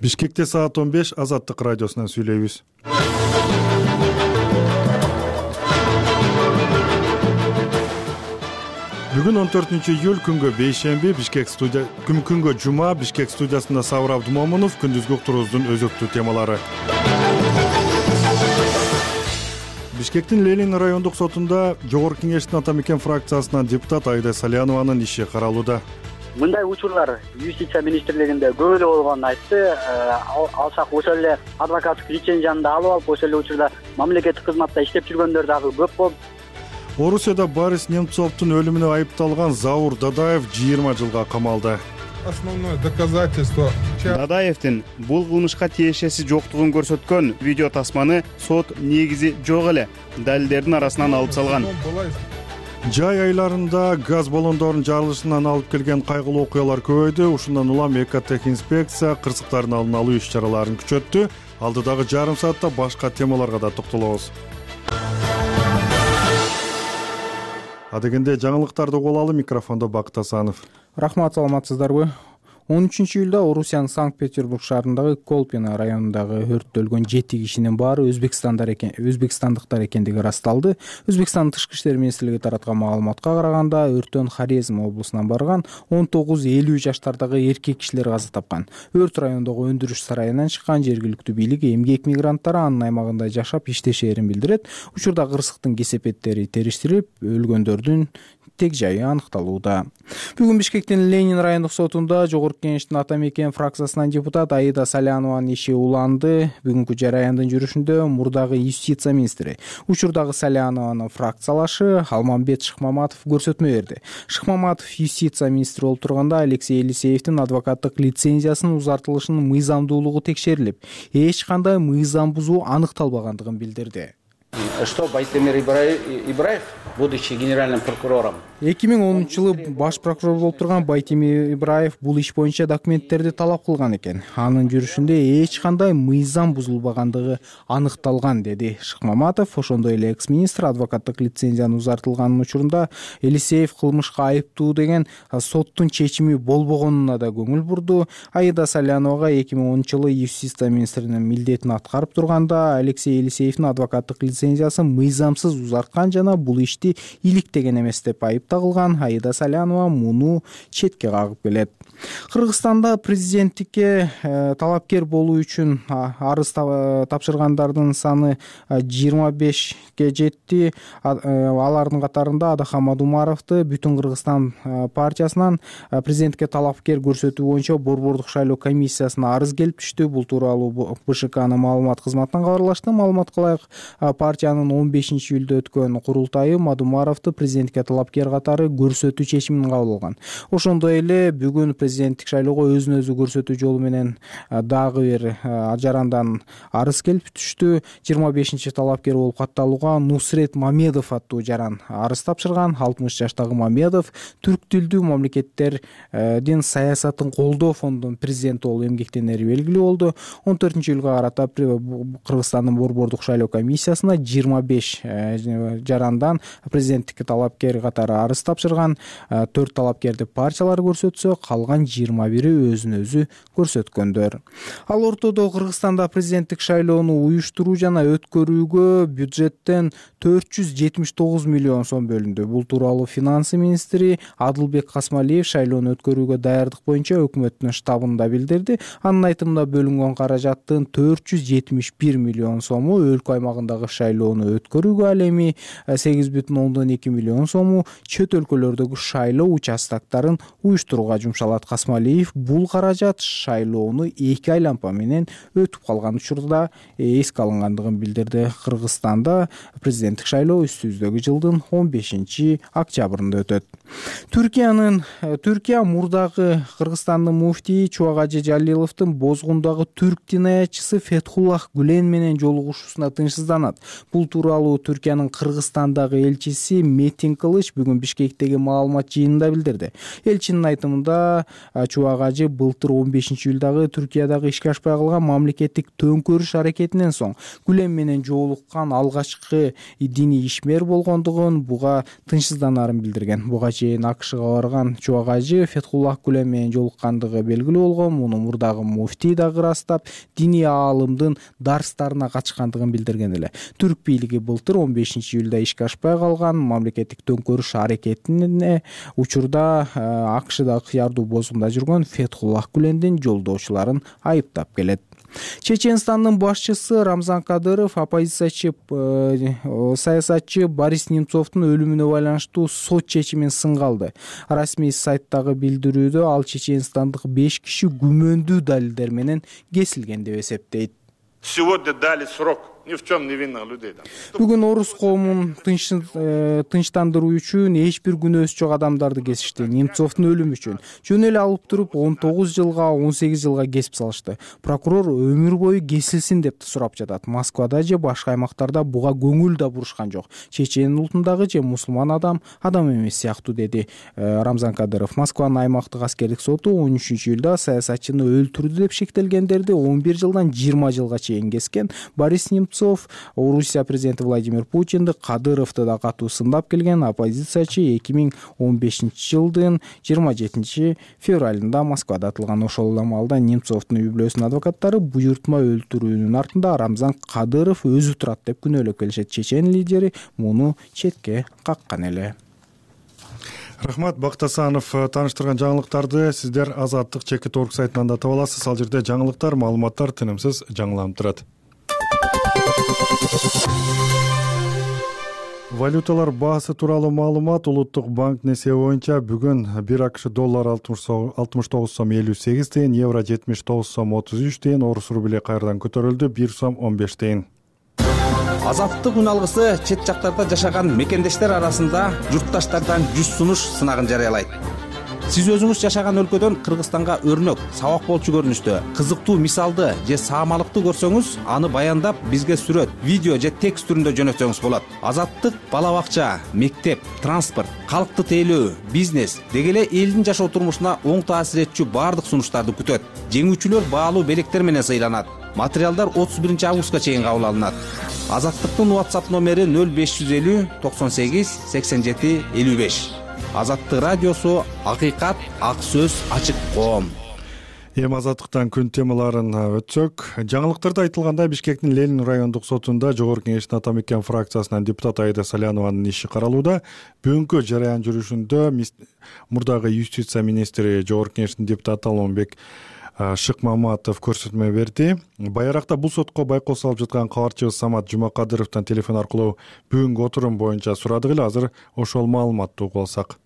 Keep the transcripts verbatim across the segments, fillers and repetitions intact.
Бишкекте саат он беш Азаттык радиосунан сүйлөйбүз. Бүгүн он төртүнчү июль күнгө бейшемби Бишкек студия күнгө жума Бишкек студиясында Сабыр Абдумомунов күндүзгү уктуруубуздун өзөктүү темалары. Бишкектин Ленин райондук сотунда Жогорку Кеңештин Ата Мекен фракциясынан депутат Аида Салянованын иши каралууда. Мындай учурлар юстиция министрлигинде көп эле болгонун айтты. Алсак ошол эле адвокаттык лицензияны да алып алып, ошол эле учурда мамлекеттик кызматта иштеп жүргөндөр дагы көп болуп. Орусияда Борис Немцовдун өлүмүнө айыпталган Заур Дадаев жыйырма жылга камалды. Основное доказательство. Дадаевдин бул кылмышка тиешеси жоктугун көрсөткөн видео тасманы сот негизи жок эле далилдердин арасынан алып салган. Жай айларында газ баллондорунун жарылышынан алып келген кайгылуу окуялар көбөйдү. Ушундан улам экотехинспекция кырсыктардын алдын алуу иш-чараларын күчөттү. Алдыдагы жарым саатта башка темаларга да токтолобуз. Адегенде жаңылыктарды угуп алалы. Микрофондо Бакыт Асанов. Рахмат, саламатсыздарбы? он үчүнчү июлда Орусиянын Санкт-Петербург шаарындагы Колпино районундагы өрттө өлгөн жети кишинин баары Өзбекстандар экен, өзбекстандыктар экендиги ырасталды. Өзбекстандын тышкы иштер министрлиги тараткан маалыматка караганда, өрттөн Хорезм облусунан барган он тогуз элүү жаштардагы эркек кишилер каза тапкан. Өрт райондогу өндүрүш сарайынан чыккан. Жергиликтүү бийлик эмгек мигранттары анын аймагында жашап иштешээрин билдирет. Учурда кырсыктын кесепеттери териштирилип, өлгөндөрдүн тег жайы аныкталууда. Бүгүн Бишкектин Ленин райондук сотунда Жогорку Кеңештин Ата Мекен фракциясынан депутат Аида Салянованын иши уланды. Бүгүнкү жараяндын жүрүшүндө мурдагы юстиция министри, учурдагы Салянованын фракциялашы Алмамбет Шыкмаматов көрсөтмө берди. Шыкмаматов юстиция министри болуп турганда Алексей Елисеевдин адвокаттык лицензиясынын узартылышынын мыйзамдуулугу текшерилип, эч кандай мыйзам бузуу аныкталбагандыгын билдирди. Что Байтемир Ибраев, будучи генеральным прокурором, эки миң онунчу жылы баш прокурор болуп турган Байтемир Ибраев бул иш боюнча документтерди талап кылган экен. Анын жүрүшүндө эч кандай мыйзам бузулбагандыгы аныкталган, деди Шыкмаматов. Ошондой эле экс-министр адвокаттык лицензиянын узартылганын учурунда Елисеев кылмышка айыптуу деген соттун чечими болбогонуна да көңүл бурду. Аида Саляновага эки миң онунчу жылы юстиция министринин милдетин аткарып турганда Алексей Елисеевдин адвокаттык лицензиясын мыйзамсыз узарткан жана бул ишти иликтеген эмес деп айыпталган. Аида Салянова муну четке кагып келет. Кыргызстанда президенттикке э, талапкер болуу үчүн арыз тапшыргандардын саны жыйырма бешке жетти. А, э, алардын катарында Адахам Думаровду Бүтүн Кыргызстан э, партиясынан э, президенттикке талапкер көрсөтүү боюнча борбордук шайлоо комиссиясына арыз келип түштү. Бул тууралуу БШКнын маалымат кызматынан кабарлашты. Маалыматка ылайык, партиянын он бешинчи июлда өткөн курултайы Мадумаровду президенттикке талапкер катары көрсөтүү чечимин кабыл алган. Ошондой эле бүгүн президенттик шайлоого өзүн өзү көрсөтүү жолу менен дагы бир жарандан арыз келип түштү. жыйырма бешинчи талапкер болуп катталууга Нусрет Мамедов аттуу жаран арыз тапшырган. алтымыш жаштагы Мамедов түрк тилдүү мамлекеттердин саясатын колдоо фондунун президенти болуп эмгектенери белгилүү болду. он төртүнчү июлга карата Кыргызстандын борбордук шайлоо комиссиясына жыйырма беш жарандан президенттикке талапкер катары арыз тапшырган. төрт талапкерди партиялар көрсөтсө, калган жыйырма бири өзүн өзү көрсөткөндөр. Ал ортодо Кыргызстанда президенттик шайлоону уюштуруу жана өткөрүүгө бюджеттен төрт жүз жетимиш тогуз миллион сом бөлүндү. Бул тууралуу финансы министри Адылбек Касмалиев шайлоону өткөрүүгө даярдык боюнча өкмөттүн штабында билдирди. Анын айтымында бөлүнгөн каражаттын төрт жүз жетимиш бир миллион сому өлкө аймагындагы шайлоону өткөрүүгө, ал эми сегиз бүтүн ондон эки миллион сому чөт өлкөлөрдөгү шайлоо участоктарын уюштурууга жумшалат. Касмалиев бул каражат шайлоону эки айлампа менен өтүп калган учурда эске алынгандыгын билдирди. Кыргызстанда президенттик шайлоо үстүбүздөгү жылдын он бешинчи октябрында өтөт. Түркиянын Түркия мурдагы Кыргызстандын муфтии Чубагажы Жалиловдун Бозгундагы түрк динаятчысы Фетхуллах Гүлен менен жолугушуусуна тынчсызданат. Бул тууралуу Түркиянын Кыргызстандагы элчиси Метин Кылыч бүгүн Бишкектеги маалымат жыйынында билдирди. Элчинин айтымында Чубак ажы былтыр он бешинчи июлдагы Түркиядагы ишке ашпай калган мамлекеттик төңкөрүш аракетинен соң Гүлен менен жолуккан алгачкы диний ишмер болгондугун, буга тынчсызданарын билдирген. Буга чейин АКШга барган Чубак ажы Фетхуллах Гүлен менен жолуккандыгы белгилүү болгон. Муну мурдагы муфтий дагы ырастап, диний аалымдын дарстарына катышкандыгын билдирген эле. Түрк бийлиги былтыр он бешинчи июлда ишке ашпай калган мамлекеттик төңкөрүш аракетине учурда АКШда кыярдуу бозумда жүргөн Фетхуллах Гүлендин жолдошуларын айыптап келет. Чеченстандын башчысы Рамзан Кадыров оппозициячы саясатчы Борис Немцовдун өлүмүнө байланыштуу сот чечимин сынга алды. Расмий сайттагы билдирүүдө ал чеченстандык беш киши күмөндүү далилдер менен кесилген деп эсептейт. Сегодня дали срок ни в чем невинных людей. Бүгүн орус коомун тынчтандыруу үчүн эч бир күнөөсү жок адамдарды кесишти. Немцовдун өлүмү үчүн жөн эле алып туруп он тогуз жылга он сегиз жылга кесип салышты. Прокурор өмүр бою кесилсин деп сурап жатат. Москвада же башка аймактарда буга көңүл да бурушкан жок. Чечен улутундагы же мусулман адам адам эмес сыяктуу, деди Рамзан Кадыров. Москванын аймактык аскердик соту он үчүнчү июлда саясатчыны өлтүрдү деп шектелгендерди он бир жылдан жыйырма жылга чейин кескен. Борис Немцов Орусия президенти Владимир Путинди, Кадыровду да катуу сындап келген. Оппозициячы эки миң он бешинчи жылдын жыйырма жетинчи февралында Москвада атылган. Ошол маалда Немцовдун үй-бүлөсүнүн адвокаттары буйртма өлтүрүүнүн артында Рамзан Кадыров өзү турат деп күнөөлөп келишет. Чечен лидери муну четке каккан эле. Рахмат, Бакыт Асанов тааныштырган жаңылыктарды сиздер Азаттык чекит орг сайтынан да таба аласыз. Ал жерде жаңылыктар, маалыматтар тынымсыз жаңыланып турат. Валюталар баасы тууралуу маалымат. Улуттук банк несие боюнча бүгүн бир АКШ доллар алтымыш тогуз сом элүү сегиз тыйын, евро жетимиш тогуз сом отуз үч тыйын, орус рубли кайрадан көтөрүлдү, бир сом он беш тыйын. Азаттык үн алгысы чет жактарда жашаган мекендештер арасында журтташтардан жүз сунуш сынагын жарыялайт. Сиз өзүңүз жашаган өлкөдөн Кыргызстанга өрнөк, сабак болчу көрүнүштө, кызыктуу мисалды же саамалыкты көрсөңүз, аны баяндап бизге сүрөт, видео же текст түрүндө жөнөтсөңүз болот. Азаттык бала бакча, мектеп, транспорт, калкты тейлөө, бизнес деги эле элдин жашоо турмушуна оң таасир этчү баардык сунуштарды күтөт. Жеңүүчүлөр баалуу белектер менен сыйланат. Материалдар отуз биринчи августка чейин кабыл алынат. Азаттыктын WhatsApp номери нөл беш жүз элүү токсон сегиз сексен жети элүү беш. Азаттык радиосу, акыйкат, ак сөз, ачык коом. Эми Азаттыктан күн темаларын өтсөк, жаңылыктарда айтылгандай Бишкектин Ленин райондук сотунда Жогорку Кеңештин Атамекен фракциясынан депутат Айда Салянованын иши каралууда. Бүгүнкү жараян жүрүшүндө мурдагы юстиция министри Жогорку Кеңештин депутаты Алмамбек Шыкмаматов көрсөтмө берди. Байракта бул сотко байкоо салып жаткан кабарчыбыз Самат Жумакадыровдон телефон аркылуу бүгүнкү отурум боюнча сурадык эле. Азыр ошол маалыматты угуп алсак.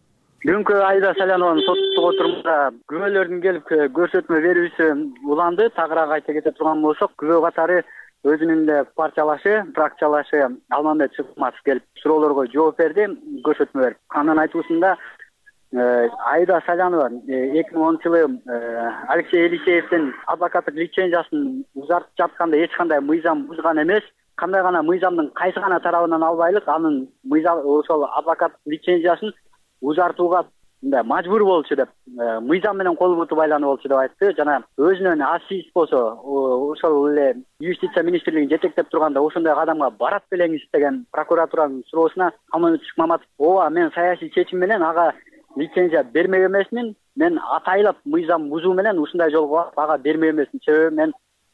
Бүгүнкү Айда Салянованын соттук отурумда күбөлөрдүн келип көрсөтмө берүүсү уланды. Тагыраак айта кете турган болсок, күбө катары өзүнүн эле партиялашы, фракциялашы Алмамбек Шыкмаматов келип суроолорго жооп берди, көрсөтмө берип. Анын айтуусунда Айда Салянова эки миң онунчу жылы Алексей Елисеевдин адвокаттык лицензиясын узартып жатканда эч кандай мыйзам бузган эмес. Кандай гана мыйзамдын кайсы гана тарабынан албайлык, анын мыйзам ошол адвокаттык лицензиясын узартууга мажбур болчу деп, мыйзам менен кол буту байланып болчу деп айтты. Жана өзүнүн асис болсо, ошол эле юстиция министрлигин жетектеп турганда ошондой кадамга барат белеңиз деген прокуратуранын суроосуна Алмамбек Шыкмаматов: "Ооба, мен саясий чечим менен ага лицензия бермек эмесмин. Мен атайлап мыйзам бузуу менен ушундай жолго ага бермек эмесмин. Себеби мен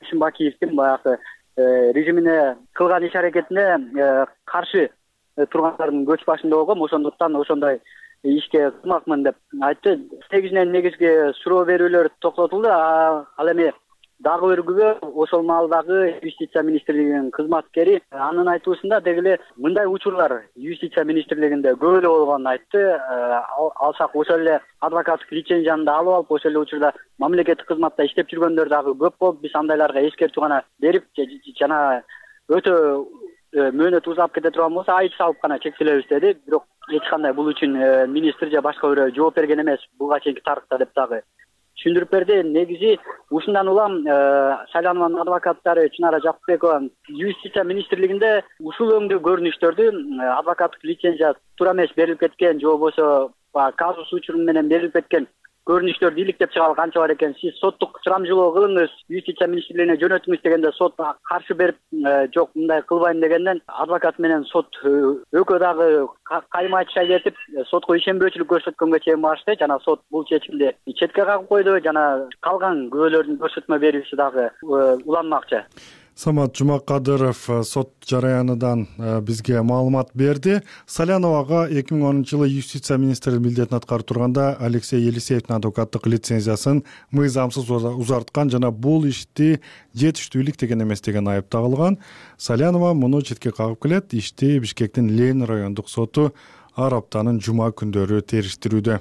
Шымбакиевдин баягы режимине кылган иш аракетине каршы тургандардын көч башында болгом. Ошондуктан ошондой ишке кылмакмын" деп айтты. Негизинен негизги суроо берүүлөр токтотулду. Ал эми дагы бир күбө ошол маалдагы юстиция министрлигинин кызматкери. Анын айтуусунда деги эле мындай учурлар юстиция министрлигинде көп эле болгонун айтты. Алсак ошол эле адвокаттык лицензияны да алып алып, ошол эле учурда мамлекеттик кызматта иштеп жүргөндөр дагы көп болуп, биз андайларга эскертүү гана берип жана өтө мөөнөт узап кете турган болсо айып салып гана чектелебиз деди. Бирок эч кандай бул үчүн министр же башка бирөө жооп берген эмес буга чейинки тарыхта деп дагы түшүндүрүп берди. Негизи ушундан улам Салянованын адвокаттары Чынара Жакупбекова юстиция министрлигинде ушул өңдүү көрүнүштөрдү адвокаттык лицензия туура эмес берилип кеткен же болбосо казус учуру менен берилип кеткен көрүнүштөрдү иликтеп чыгалы канча бар экен, сиз соттук сурамжылоо кылыңыз, юстиция министрлигине жөнөтүңүз дегенде сот каршы берип, жок мындай кылбайм дегенден адвокат менен сот экөө дагы кайма айтыша кетип, сотко ишенбөөчүлүк көрсөткөнгө чейин барышты. Жана сот бул чечимди четке кагып койду. Жана калган күбөлөрдүн көрсөтмө берүүсү дагы уланмакчы. Самат Жумакадыров сот жараянынан бизге маалымат берди. Саляновага эки миң онунчу жылы юстиция министри милдетин аткарып турганда Алексей Елисеевдин адвокаттык лицензиясын мыйзамсыз узарткан жана бул ишти жетиштүүлүк деген эмес деген айып тагылган. Салянова муну четке кагып келет. Ишти Бишкектин Ленин райондук соту ар аптанын жума күндөрү териштирүүдө.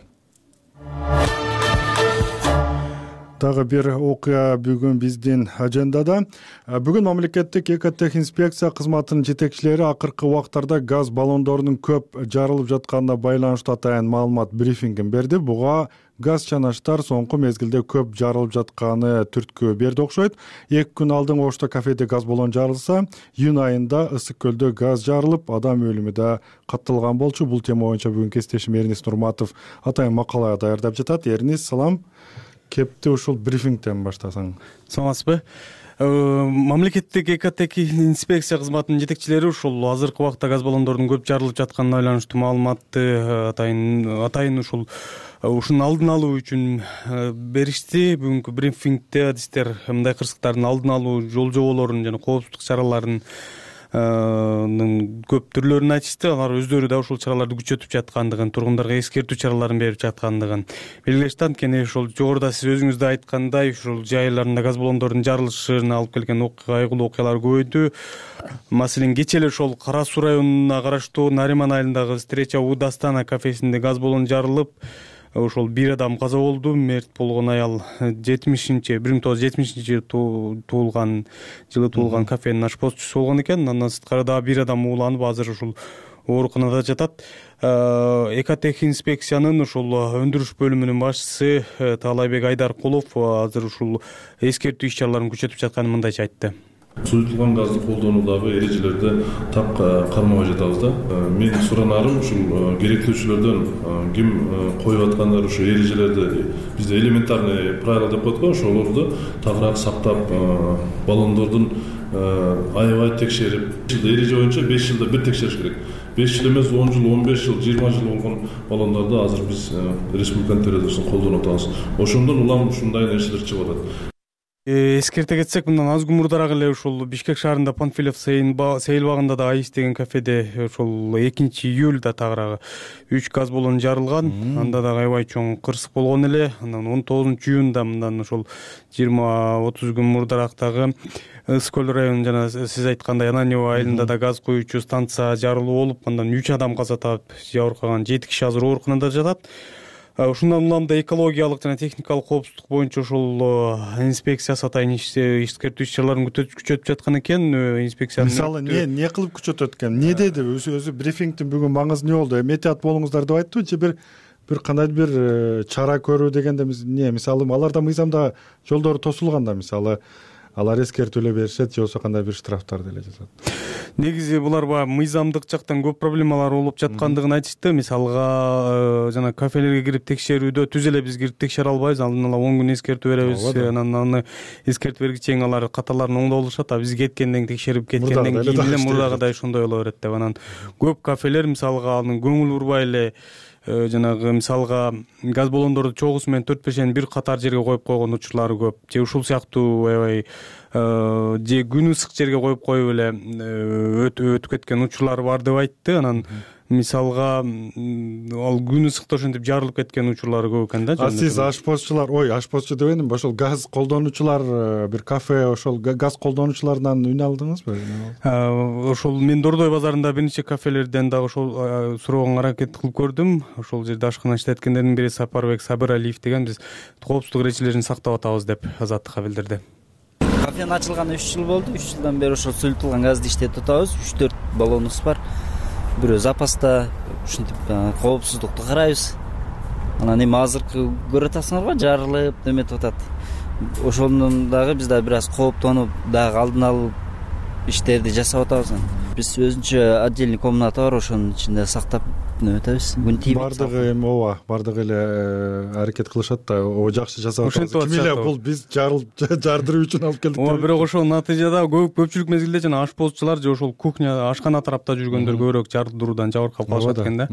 Дагы бир окуя бүгүн биздин ажендада. Бүгүн мамлекеттик экотехинспекция кызматынын жетекчилери акыркы убактарда газ баллондорунун көп жарылып жатканына байланыштуу атайын маалымат брифингин берди. Буга газ чанаштар соңку мезгилде көп жарылып жатканы түрткү берди окшойт. эки күн алдын Ошто кафеде газ баллон жарылса, июнь айында Ысык көлдө газ жарылып, адам өлүмү да катталган болчу. Бул тема боюнча бүгүн кесиптешим Эрнис Нурматов атайын макала даярдап жатат. Эрнис, салам. Кепти ушул брифингден баштасаң. Саламатсызбы? Мамлекеттик экотехинспекция кызматынын жетекчилери ушул азыркы убакта газ баллондордун көп жарылып жатканына байланыштуу маалыматты атайын атайын ушул ушунун алдын алуу үчүн беришти. Бүгүнкү брифингде адистер мындай кырсыктардын алдын алуу жол жоболорун жана коопсуздук чараларын көп түрлөрүн айтышты. Алар өздөрү да ушул чараларды күчөтүп жаткандыгын, тургундарга эскертүү чараларын берип жаткандыгын белгилешти. Анткени ошол жогоруда сиз өзүңүз да айткандай, ушул жайларында газ баллондордун жарылышына алып келген окуя, кайгылуу окуялар көбөйдү. Маселен, кечээ эле ошол Кара Суу районуна караштуу Нариман айылындагы Встреча у Дастана кафесинде газ баллон жарылып, ошол бир адам каза болду. Мерт болгон аял жетимишинчи бир миң тогуз жүз жетимишинчи жылы туулган жылы туулган кафенин ашпозчусу болгон экен. Андан сырткары дагы бир адам ууланып, азыр ушул ооруканада жатат. Экотехинспекциянын ушул өндүрүш бөлүмүнүн башчысы Таалайбек Айдаркулов азыр ушул эскертүү иш чараларын күчөтүп жатканын мындайча айтты. Суютулган газды колдонуудагы эрежелерди так кармабай жатабыз да. Мен суранарым ушул керектөөчүлөрдөн ким коюп аткандар ушул эрежелерди, бизде элементарный правила деп коет го, ошолорду тагыраак сактап, баллондордун аябай текшерип, эреже боюнча беш жылда бир текшериш керек. беш жыл эмес, он жыл, он беш жыл, жыйырма жыл болгон баллондорду азыр биз республиканын территориясында колдонуп атабыз. Ошондон улам ушундай нерселер чыгып атат. Эскерте кетсек, мындан аз күн мурдараак эле ушул Бишкек шаарында Панфилов сейил багында да Айыс деген кафеде ошол экинчи июлда тагыраагы үч газ баллон жарылган. Анда да аябай чоң кырсык болгон эле. Андан он тогузунчу июнда мындан ошол жыйырма отуз күн мурдарактагы Ысык көл районунун жана сиз айткандай Ананьево айылында да газ коюучу станция жарылуу болуп, андан үч адам каза таап, жабыркаган жети киши азыр ооруканада жатат. Ушундан улам да экологиялык жана техникалык коопсуздук боюнча ушул инспекциясы атайын эскертүү иш чараларын күчөтүп жаткан экен. Инспекциянын мисалы не не кылып күчөтөт экен? Не деди? Өзү өзү брифингдин бүгүн маңызы не болду? Эметият болуңуздар деп айттыбы же бир бир кандайдыр бир чара көрүү дегенде не? Мисалы аларда мыйзамда жолдору тосулганда, мисалы алар эскертүүлөр беришет же болбосо кандай бир штрафтар деле жазат. Негизи булар баягы мыйзамдык жактан көп проблемалар болуп жаткандыгын айтышты. Мисалга жана кафелерге кирип текшерүүдө түз эле биз кирип текшере албайбыз. Алдын ала он күн эскертүү беребиз. Анан аны эскертип бергенче чейин алар каталарын оңдоп алышат. А биз кеткенден текшерип кеткенден кийин эле мурдагыдай ошондой боло берет деп. Анан көп кафелер мисалга анын көңүл бурбай эле жанагы мисалга газ баллондорду чогусу менен төрт бешени бир катар жерге коюп койгон учурлары көп. Же ушул сыяктуу аябай же күн ысык жерге коюп коюп эле өтүп кеткен учурлары бар деп айтты. Анан мисалга ал күн ысыкта ошентип жарылып кеткен учурлары көп экен да. А сиз ашпозчулар, ой, ашпозчу дебедим, ошол газ колдонуучулар, бир кафе ошол газ колдонуучулардан үн алдыңызбы? Ошол мен Дордой базарында бир нече кафелерден дагы ошол суроого аракет кылып көрдүм. Ошол жерде ашкана иштеткендердин бири Сапарбек Сабыралиев деген, биз коопсуздук эрежелерин сактап атабыз деп Азаттыкка билдирди. Кафенин ачылганына үч жыл болду. үч жылдан бери ошол суюлтулган газды иштетип атабыз. үч төрт баллонубуз бар. Бирөө запаста, ушинтип коопсуздукту карайбыз. Анан эми азыркы көрүп атасыңарбы, жарылып неметип атат. Ошондон дагы биз дагы бир аз кооптонуп, дагы алдын алып иштерди жасап атабыз. Биз өзүнчө отдельный комната бар, ошонун ичинде сактап өтүнүп атабыз. Күн тийбейт. Бардыгы эми ооба, бардыгы эле аракет кылышат да, о жакшы жасап атабыз. Ким эле бул биз жардыруу үчүн алып келдик. Ооба, бирок ошол натыйжада көп көпчүлүк мезгилде жана ашпозчулар же ошол кухня, ашкана тарапта жүргөндөр көбүрөөк жардыруудан жабыркап калышат экен да.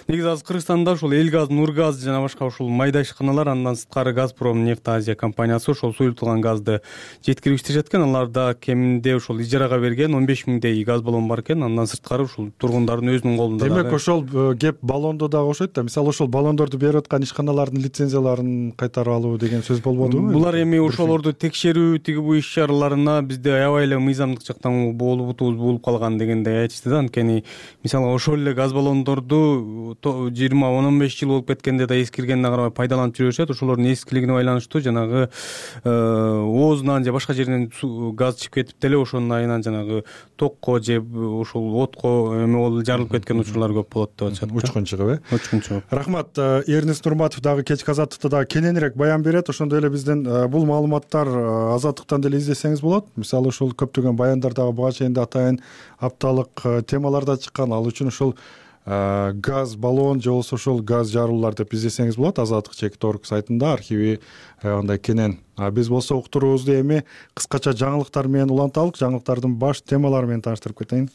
Негизи азыр Кыргызстанда ошол Эл газ, Нур газ жана башка ушул майда ишканалар, андан сырткары Газпром нефть Азия компаниясы ошол суюлтулган газды жеткирип экен. Аларда кеминде ошол ижарага берген он беш миңдей газ баллон бар экен. Андан сырткары ушул тургундардын өзүнүн колунда. Демек ошол кеп баллондо дагы окшойт да. Мисалы ошол баллондорду берип аткан ишканалардын лицензияларын кайтарып алуу деген сөз болбодубу? Булар эми ошолорду текшерүү, тиги бу иш чараларына бизде аябай эле мыйзамдык жактан болбутубуз болуп калган дегендей айтышты да. Анткени мисалы ошол эле газ баллондорду жыйырма он беш жыл болуп кеткенде да эскиргенине карабай пайдаланып жүрүшөт. Ошолордун эскилигине байланыштуу жанагы оозунан же башка жеринен газ чыгып кетип деле ошонун айынан жанагы токко же ошол отко эме болуп жарылып кеткен учурлар көп болот деп атышат. Учкун чыгып, э? Учкун чыгып. Рахмат. Эрнест Нурматов дагы кечки азаттыкта дагы кененирээк баян берет. Ошондой эле бизден бул маалыматтар азаттыктан деле издесеңиз болот. Мисалы ушул көптөгөн баяндар дагы буга чейин да атайын апталык темаларда чыккан. Ал үчүн ушул газ баллон же болбосо ошол газ жаруулар деп издесеңиз болот. Азаттык чекит орг сайтында архиви андай кенен. Биз болсо уктуруубузду эми кыскача жаңылыктар менен уланталык. Жаңылыктардын баш темалары менен тааныштырып кетейин.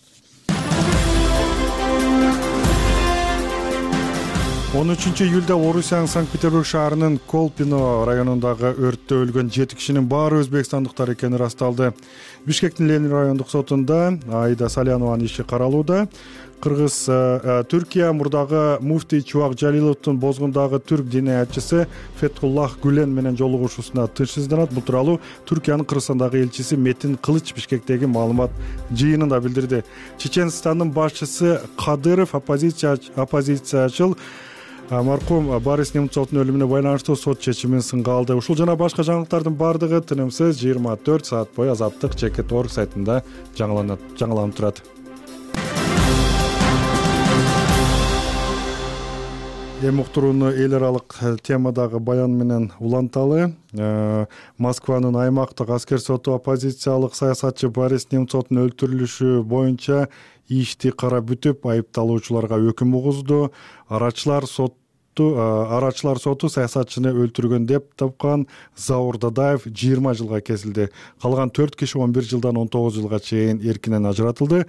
он үчүнчү июлда Орусиянын Санкт-Петербург шаарынын Колпино районундагы өрттө өлгөн жети кишинин баары өзбекстандыктар экени ырасталды. Бишкектин Ленин райондук сотунда Аида Салянованын иши каралууда. Кыргыз Түркия мурдагы муфтий Чубак Жалиловдун Бозгундагы түрк диниятчысы Фетхуллах Гүлен менен жолугушуусуна тынчсызданат. Бул тууралуу Түркиянын Кыргызстандагы элчиси Метин Кылыч Бишкектеги маалымат жыйынында билдирди. Чеченстандын башчысы Кадыров оппозициячыл маркум Борис Немцовдун өлүмүнө байланыштуу сот чечимин сынга алды. Ушул жана башка жаңылыктардын бардыгы тынымсыз жыйырма төрт саат бою азаттык чекит орг сайтында жаңыланып турат. Эми уктурууну эл аралык темадагы баян менен уланталы. Москванын аймактык аскер соту оппозициялык саясатчы Борис Немцовдун өлтүрүлүшү боюнча ишти карап бүтүп, айыпталуучуларга өкүм угузду. Арачылар соту арачылар соту саясатчыны өлтүргөн деп тапкан Заур Дадаев жыйырма жылга кесилди. Калган төрт киши он бир жылдан он тогуз жылга чейин эркинен ажыратылды.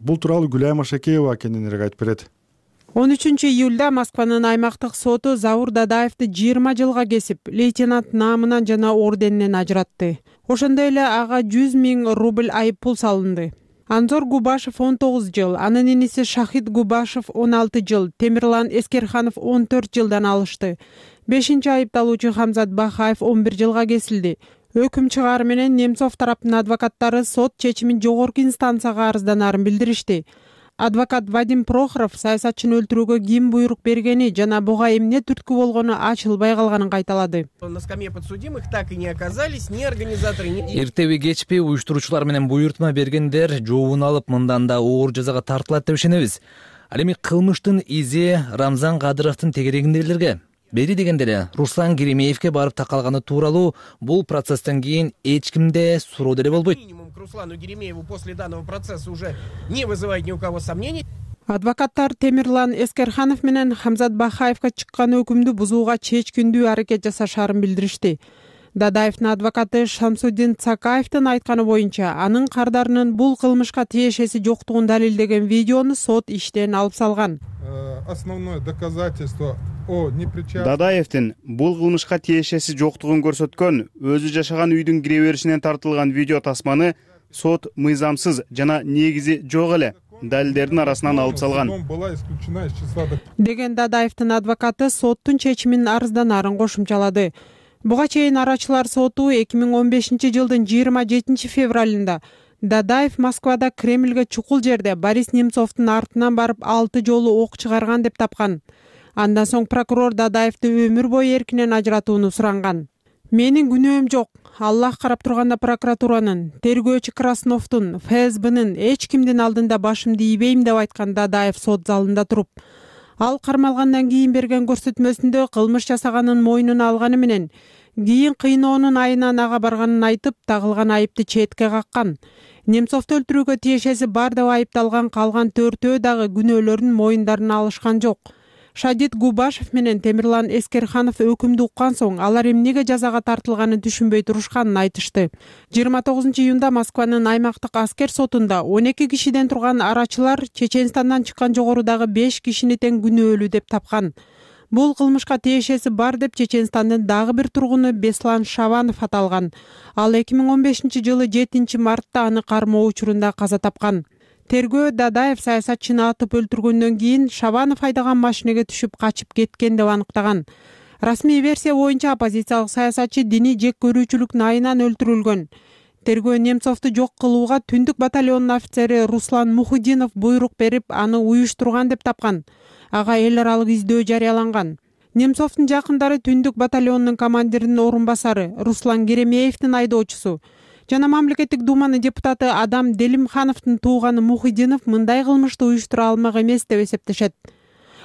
Бул тууралуу Гүлайым Ашекеева кененирээк айтып берет. он үчүнчү июлда Москванын аймактык соту Заур Дадаевди жыйырма жылга кесип, лейтенант наамынан жана орденинен ажыратты. Ошондой эле ага жүз миң рубль айып пул салынды. Анзор Губашев он тогуз жыл, анын иниси Шахид Губашев он алты жыл, Темирлан Эскерханов он төрт жылдан алышты. Бешинчи айыпталуучу Хамзат Бахаев он бир жылга кесилди. Өкүм чыгаар менен Немцов тараптын адвокаттары сот чечимин жогорку инстанцияга арызданарын билдиришти. Адвокат Вадим Прохоров саясатчыны өлтүрүүгө ким буйрук бергени жана буга эмне түрткү болгону ачылбай калганын кайталады. На скамье подсудимых так и не оказались ни организаторы, ни... Эртеби кечпи уюштуруучулар менен буйртма бергендер жообун алып мындан да оор жазага тартылат деп ишенебиз. Ал эми кылмыштын изи Рамзан Кадыровдун тегерегиндегилерге, бери дегенде эле Руслан Керемеевке барып такалганы тууралуу бул процесстен кийин эч кимде суроо деле болбойт. К Руслану Геремееву после данного процесса уже не вызывает ни у кого сомнений. Адвокаттар Темирлан Эскерханов менен Хамзат Бахаевка чыккан өкүмдү бузууга чечкиндүү аракет жасашарын билдиришти. Дадаевдин адвокаты Шамсуддин Цакаевдин айтканы боюнча, анын кардарынын бул кылмышка тиешеси жоктугун далилдеген видеону сот иштен алып салган. Основное доказательство о непричастности. Дадаевдин бул кылмышка тиешеси жоктугун көрсөткөн өзү жашаган үйдүн кире беришинен тартылган видео тасманы сот мыйзамсыз жана негизи жок эле далилдердин арасынан алып салган деген Дадаевдин адвокаты соттун чечимин арызданарын кошумчалады. Буга чейин арачылар соту эки миң он бешинчи жылдын жыйырма жетинчи февралында Дадаев Москвада Кремльге чукул жерде Борис Немцовдун артынан барып алты жолу ок чыгарган деп тапкан. Андан соң прокурор Дадаевди өмүр бою эркинен ажыратууну суранган. Менин күнөөм жок. Аллах карап турганда прокуратуранын, тергөөчү Красновдун, ФСБнын эч кимдин алдында башымды ийбейм деп айткан Дадаев сот залында туруп. Ал кармалгандан кийин берген көрсөтмөсүндө кылмыш жасаганын мойнуна алганы менен кийин кыйноонун айынан ага барганын айтып, тагылган айыпты четке каккан. Немцовду өлтүрүүгө тиешеси бар деп айыпталган калган төртөө дагы күнөөлөрүн моюндарына алышкан жок. Шадит Губашев менен Темирлан Эскерханов өкүмдү уккан соң алар эмнеге жазага тартылганын түшүнбөй турушканын айтышты. жыйырма тогузунчу июнда Москванын аймактык аскер сотунда он эки кишиден турган арачылар Чеченстандан чыккан жогорудагы беш кишини тең күнөөлүү деп тапкан. Бул кылмышка тиешеси бар деп Чеченстандын дагы бир тургуну Беслан Шаванов аталган. Ал эки миң он бешинчи жылы жетинчи мартта аны кармоо учурунда каза тапкан. Тергөө Дадаев саясатчыны атып өлтүргөндөн кийин Шаванов айдаган машинеге түшүп качып кеткен деп аныктаган. Расмий версия боюнча оппозициялык саясатчы диний жек көрүүчүлүк айынан өлтүрүлгөн. Тергөө Немцовду жок кылууга Түндүк батальонунун офицери Руслан Мухудинов буйрук берип, аны уюштурган деп тапкан. Ага эл аралык издөө жарыяланган. Немцовдун жакындары Түндүк батальонунун командиринин орун басары Руслан Керемеевдин айдоочусу жана мамлекеттик думанын депутаты Адам Делимхановдун тууганы Мухидинов мындай кылмышты уюштура алмак эмес деп эсептешет.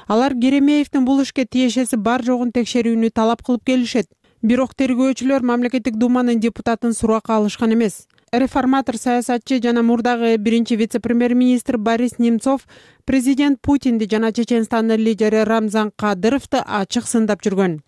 Алар Керемеевдин бул ишке тиешеси бар жогун текшерүүнү талап кылып келишет. Бирок тергөөчүлөр мамлекеттик думанын депутатын суракка алышкан эмес. Реформатор саясатчы жана мурдагы биринчи вице-премьер-министр Борис Немцов президент Путинди жана Чеченстандын лидери Рамзан Кадыровду ачык сындап жүргөн.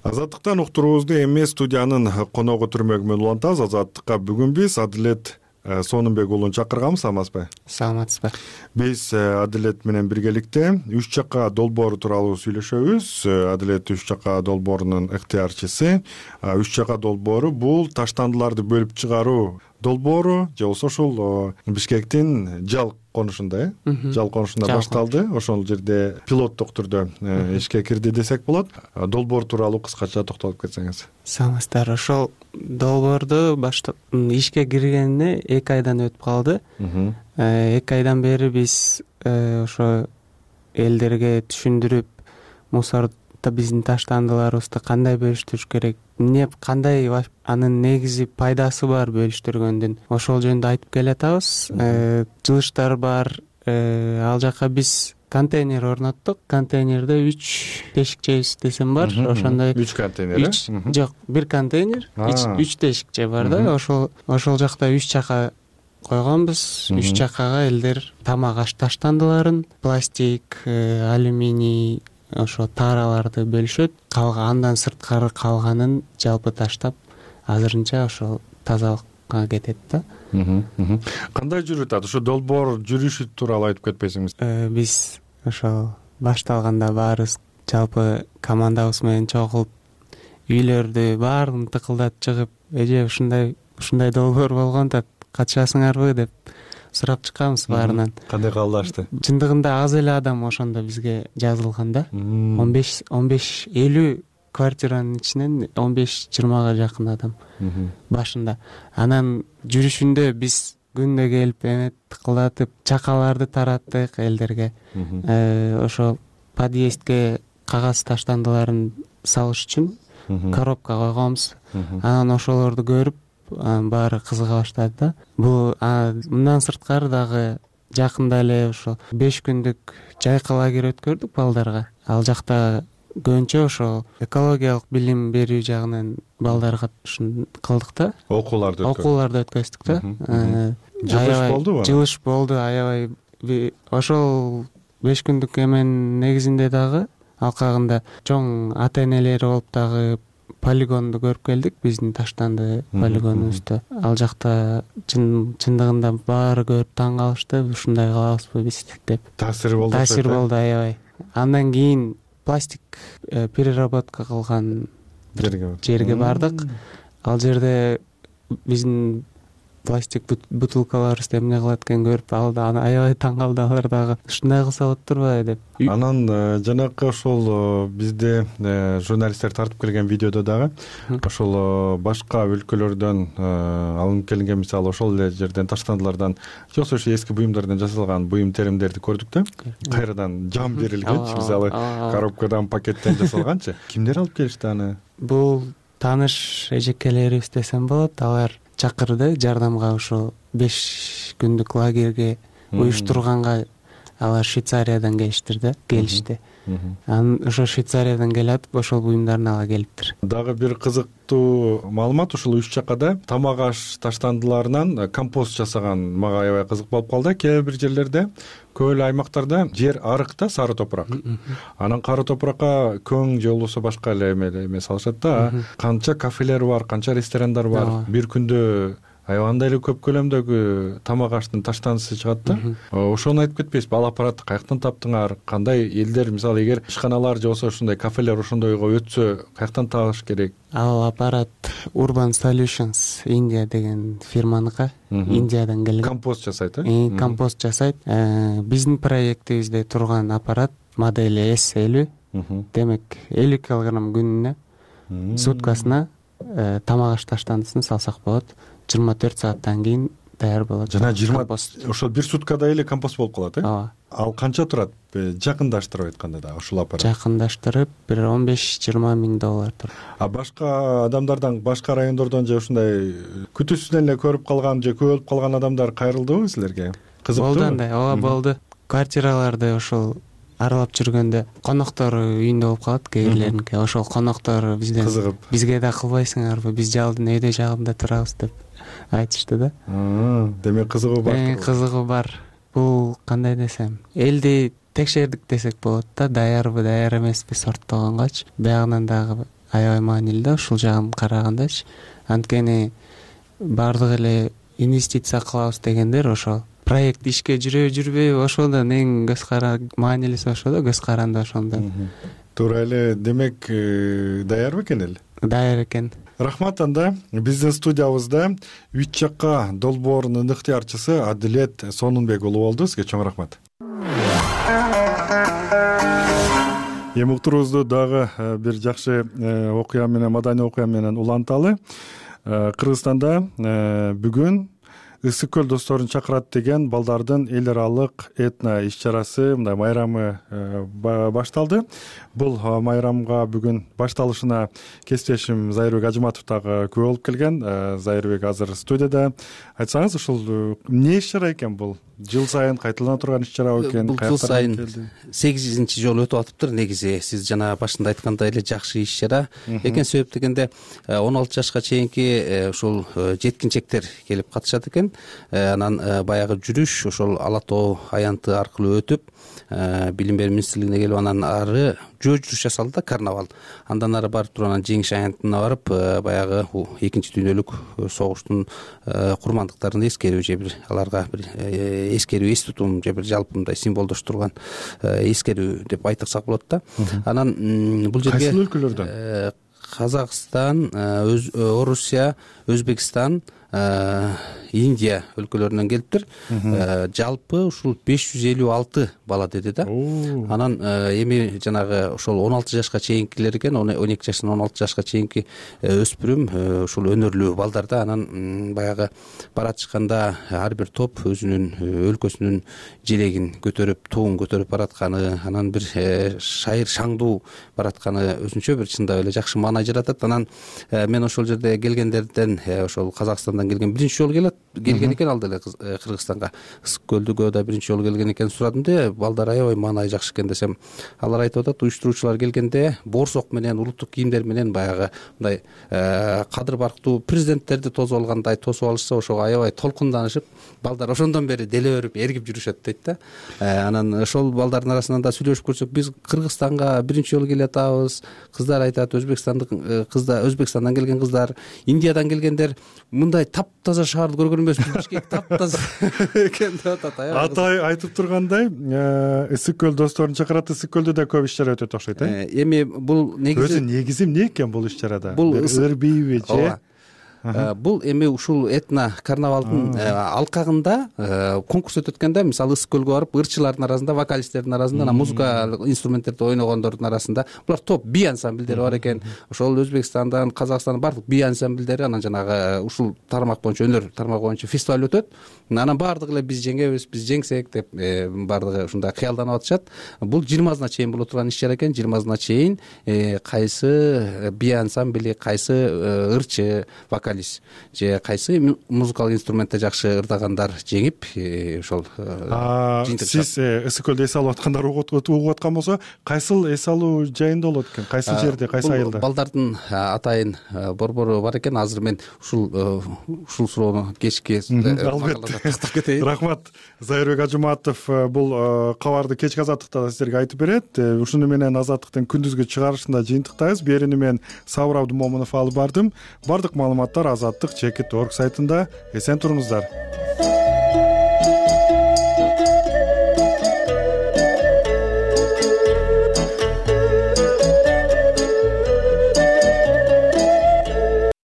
Азаттыктан уктуруубузду эми студиянын коногу түрмөгү менен улантабыз. Азаттыкка бүгүн биз Адилет Сонунбек уулун чакырганбыз, саламатсызбы? Саламатсызбы. Биз Адилет менен биргеликте үч жака долбоору тууралуу сүйлөшөбүз. Адилет үч жака долбоорунун ыктыярчысы. Үч жака долбоору бул таштандыларды бөлүп чыгаруу долбоору же болбосо ушул Бишкектин жал конушунда, э? Жал конушунда башталды. Ошол жерде пилоттук түрдө ишке кирди десек болот. Долбоор тууралуу кыскача токтолуп кетсеңиз. Саламатсыздар. Ошол долбоорду баштап ишке киргенине эки айдан өтүп калды. эки айдан бери биз ошо элдерге түшүндүрүп, мусорду биздин таштандыларыбызды кандай бөлүштүрүш керек, эмне кандай анын негизи пайдасы бар бөлүштүргөндүн, ошол жөнүндө айтып келатабыз. Жылыштар бар. Ал жака биз контейнер орноттук. Контейнерде үч тешикчебиз десем бар. Ошондой үч контейнер. Жок, бир контейнер, үч тешикче бар да. Ошол ошол жакта үч жака койгонбуз. Үч жакага элдер тамак аш таштандыларын, пластик, алюминий, ошо тараларды бөлүшөт. Калган андан сырткары калганын жалпы таштап, азырынча ошол тазалыкка кетет да. Кандай жүрүп атат? Ошо долбоор жүрүшү тууралуу айтып кетпесиңиз? Биз ошол башталганда баарыбыз жалпы командабыз менен чогулуп, үйлөрдү баарын тыкылдатып чыгып, эже ушундай ушундай долбоор болгон да, катышасыңарбы деп сурап чыкканбыз баарынан. Кандай кабыл алышты? Чындыгында аз эле адам ошондо бизге жазылган да. он беш он беш элүү квартиранын ичинен он беш жыйырмага жакын адам башында. Анан жүрүшүндө биз күндө келип эме тыкылдатып, чакаларды тараттык элдерге. Ошо подъездге кагаз таштандыларын салыш үчүн коробка койгонбуз. Анан ошолорду көрүп баары кызыга баштады да. Бул мындан сырткары дагы жакында эле ошо беш күндүк жайкы лагерь өткөрдүк балдарга. Ал жакта көбүнчө ошо экологиялык билим берүү жагынан балдарга ушун кылдык да. Окууларды өткөрдүк. Окууларды өткөздүк да. Жылыш болдубу? Жылыш болду, аябай. Ошол беш күндүк эменин негизинде дагы алкагында чоң ата-энелери болуп дагы полигонду көрүп келдик, биздин таштанды полигонубузду. Ал жакта чындыгында баары көрүп таң калышты, ушундай кылабызбы биз деп. Таасир болду. Таасир болду, аябай. Андан кийин пластик переработка кылган жерге бардык. Ал жерде биздин пластик бутылкаларыбызды эмне кылат экен көрүп, ал да аябай таң калды, алар дагы ушундай кылса болот турбайбы деп. Анан жанакы ошол бизде журналисттер тартып келген видеодо дагы ошол башка өлкөлөрдөн алынып келинген, мисалы ошол эле жерден таштандылардан же болбосо ошо эски буюмдардан жасалган буюм теримдерди көрдүк да. Кайрадан жам берилгенчи, мисалы коробкадан, пакеттен жасалганчы. Кимдер алып келишти аны? Бул тааныш эжекелерибиз десем болот. Алар чакырды жардамга, ошо беш күндүк лагерге уюштурганга алар Швейцариядан келиштир да келишти анан ошо Швейцариядан келатып ошол буюмдарын ала келиптир. Дагы бир кызыктуу маалымат ушул үч жаккада тамак аш таштандыларынан компост жасаган мага аябай кызык болуп калды. Кээ бир жерлерде көп эле аймактарда жер арык да, сары топурак. Анан кары топуракка көң же болбосо башка эле эме салышат да. Канча кафелер бар, канча ресторандар бар. Бир күндө аябагандай эле көп көлөмдөгү тамак аштын таштандысы чыгат да. Ошону айтып кетпейсизби? Ал аппаратты каяктан таптыңар? Кандай элдер, мисалы, эгер ишканалар же болбосо ушундай кафелер ошондойго өтсө, каяктан табыш керек? Ал аппарат Urban Solutions India деген фирманыкы, Индиядан келген. Компост жасайт, э? Компост жасайт. Биздин проектибизде турган аппарат модели эс элүү. Демек элүү килограмм күнүнө суткасына тамак аш таштандысын салсак болот. жыйырма төрт сааттан кийин даяр болот. Жана жыйырма ошол бир суткада эле компост болуп калат, э? Ооба. Ал канча турат? Жакындаштырып айтканда да ушул аппарат. Жакындаштырып бир он беш жыйырма миң доллар турат. А башка адамдардан, башка райондордон же ушундай күтүүсүнөн эле көрүп калган же көрүп калган адамдар кайрылдыбы силерге? Кызыктуу. Болду андай, ооба болду. Квартираларды ошол аралап жүргөндө коноктор үйүндө болуп калат, кээрлеринки. Ошол коноктор бизден кызыгып, бизге да кылбайсыңарбы, биз жалдын өйдө жагында турабыз деп айтышты да. Демек кызыгуу бар. Кызыгуу бар. Бул кандай десем, элди текшердик десек болот да, даярбы, даяр эмеспи сорттогонгочу. Биягынан дагы аябай маанилүү да ушул жагын карагандачы. Анткени баардык эле инвестиция кылабыз дегендер ошол проект ишке жүрөбү жүрбөйбү, ошондон эң көз кара маанилүүсү ошо да, көз каранды ошондон. Туура эле. Демек даярбы экен эл? Даяр экен. Рахмат. Анда биздин студиябызда үч жакка долбоорунун ыктыярчысы Адилет Сонунбек уулу болду. Сизге чоң рахмат. Эми уктуруубузду дагы бир жакшы окуя менен, маданий окуя менен уланталы. Кыргызстанда бүгүн Ысык көл досторун чакырат деген балдардын эл аралык этно иш-чарасы, мындай майрамы башталды. Бул майрамга бүгүн башталышына кесиптешим Зайырбек Ажыматов дагы күбө болуп келген. Зайырбек азыр студияда. Айтсаңыз, ушул эмне иш-чара экен бул? Жыл сайын кайталана турган иш-чара экен? Бул жыл сайын сегизинчи жолу өтүп атыптыр. Негизи сиз жана башында айткандай эле жакшы иш-чара экен. Себеп дегенде он алты жашка чейинки ушул жеткинчектер келип катышат экен. Анан баягы жүрүш ошол Ала Тоо аянты аркылуу өтүп, билим берүү министрлигине келип, анан ары жөө жүрүш жасалды да, карнавал. Андан ары барып туруп анан жеңиш аянтына барып, баягы экинчи дүйнөлүк согуштун курмандыктарын эскерүү же бир аларга бир эскерүү, эс тутум же бир жалпы мындай символдоштурган эскерүү деп айтсак болот да. Анан бул жерге кайсы өлкөлөрдөн? Казакстан, Орусия, Өзбекстан, Индия өлкөлөрүнөн келиптир. Жалпы ушул беш жүз элүү алты бала деди да. Анан эми жанагы ошол он алты жашка чейинкилер экен, он эки жаштан он алты жашка чейинки өспүрүм ушул өнөрлүү балдар да. Анан баягы баратышканда ар бир топ өзүнүн өлкөсүнүн желегин көтөрүп, туун көтөрүп баратканы, анан бир шайыр шаңдуу баратканы өзүнчө бир чындап эле жакшы маанай жаратат. Анан мен ошол жерде келгендерден, ошол Казакстандан келген биринчи жолу келет келген экен, ал деле Кыргызстанга Ысык көлдүгө да биринчи жолу келген экен. Сурадым да, балдар аябай маанай жакшы экен десем, алар айтып атат, уюштуруучулар келгенде борсок менен, улуттук кийимдер менен баягы мындай кадыр барктуу президенттерди тосуп алгандай тосуп алышса, ошого аябай толкунданышып, балдар ошондон бери деле берип, эргип жүрүшөт дейт да. Анан ошол балдардын арасынан да сүйлөшүп көрсөк, биз Кыргызстанга биринчи жолу келе атабыз. Кыздар айтат, Өзбекстандык кыздар, Өзбекстандан келген кыздар, Индиядан келгендер мындай таптаза шаарды көргөн эмеспиз, Бишкек таптаза экен деп атат. Атай айтып тургандай, Ысык көл досторун чакырат. Ысык көлдө да көп иш-чара өтөт окшойт, э? Эми бул негизи өзү негизи эмне экен бул иш-чарада? Бул ырбийби же? Бул эми ушул этно карнавалдын алкагында конкурс өтөт экен да. Мисалы Ысык көлгө барып, ырчылардын арасында, вокалисттердин арасында, музыка инструменттерди ойногондордун арасында булар топ би ансамбльдери бар экен. Ошол Өзбекстандан, Казакстандан бардык би ансамбльдери, анан жанагы ушул тармак боюнча, өнөр тармагы боюнча фестиваль өтөт. Анан бардыгы эле биз жеңебиз, биз жеңсек деп бардыгы ушундай кыялданып атышат. Бул жыйырмасына чейин боло турган иш-чара экен. жыйырмасына чейин кайсы би ансамбли, кайсы ырчы, вокалист вокалист же кайсы музыкалык инструментте жакшы ырдагандар жеңип ошол сиз ысык көлдө эс алып аткандар угуп аткан болсо кайсыл эс алуу жайында болот экен, кайсыл жерде, кайсы айылда? Балдардын атайын борбору бар экен. Азыр мен ушул ушул суроону кечки албетте тактап кетейин. Рахмат. Зайырбек Ажыматов бул кабарды кечки азаттыкта сиздерге айтып берет. Ушуну менен азаттыктын күндүзгү чыгарышында жыйынтыктайбыз. Берүүнү мен Сабыр Абдымомунов алып бардым. Бардык маалыматтар азаттык чекит точка орг сайтында. Эсен туруңуздар.